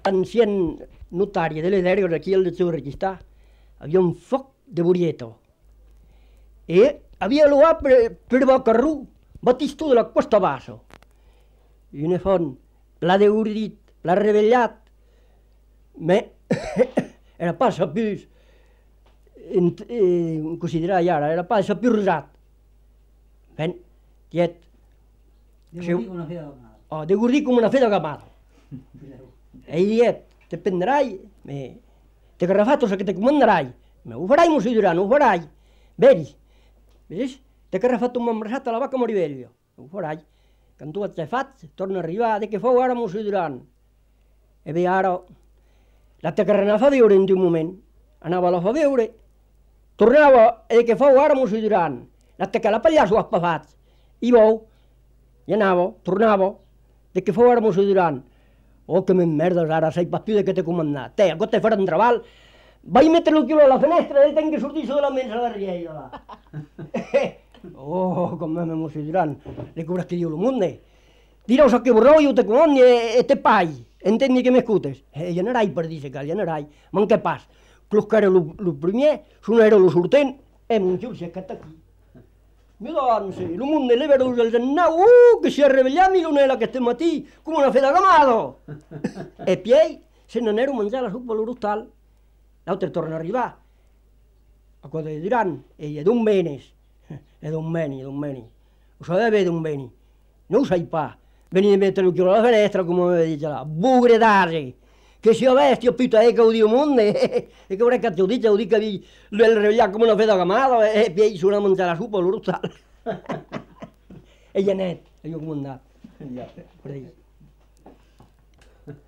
Ancien notaria delle derghe aquí al seu registrar, havia un foc de burieto. E havia luat per Bocarrú, Batistú de la Costa Basso. I una font, pla de urdit, pla revellat, me era pas sapus considerar ara, era pas sapus rosat. Ben, tiet. De gordí com una fe de gamada. E diet, te prendrai, te garrafatos a que te comandarai, me ho farai, mos Duran, ho farai. Vedi, vedi, te garrafat un embrassat a la vaca Moribello, ho farai. Quan tu et fat, torna a arribar, de que fou ara mos Duran. E bé, ara, la te carrana fa veure en un moment, anava a la fa veure, tornava, e de que fou ara mos Duran, la te que la pallasso has pafat, i vau, i anava, tornava, de que fou ara mos Duran. Oh, que m'emmerdes ara, sei pas più de que t'he comandat. Te, a te faran treball. Vaig metre el quilo a la finestra i tenc que sortir de la mensa de riella. Oh, com m'emocioniran. Le cobras que diu el mundo. Direu so que borrou i ho te comandi e te pai. Entendi que m'escutes. Ja n'arai per dir que ja n'arai. Man què pas? Clus que era el primer, son era el sortent, mon xurxa que està aquí. Mi doncs, el mundo le veus el nau, que si arrevellat milonela aquest matí, com una fe de gamado. E piei, se n'anero a menjar la sopa a l'hostal. L'altre torna a arribar. A cosa de diran, ella d'on venes? E d'on veni, d'on veni. Ho sabeva d'on veni. No ho sai pa. Veni de mettere l'occhio alla finestra, come mi dice là, bugre d'ase. Che sia bestia, pita che ho dio monde, e che vorrei che ti ho detto che vi il revegliato come una fede gamata e poi sono a mangiare la sopa loro tal. E gli è netto, e io come andato.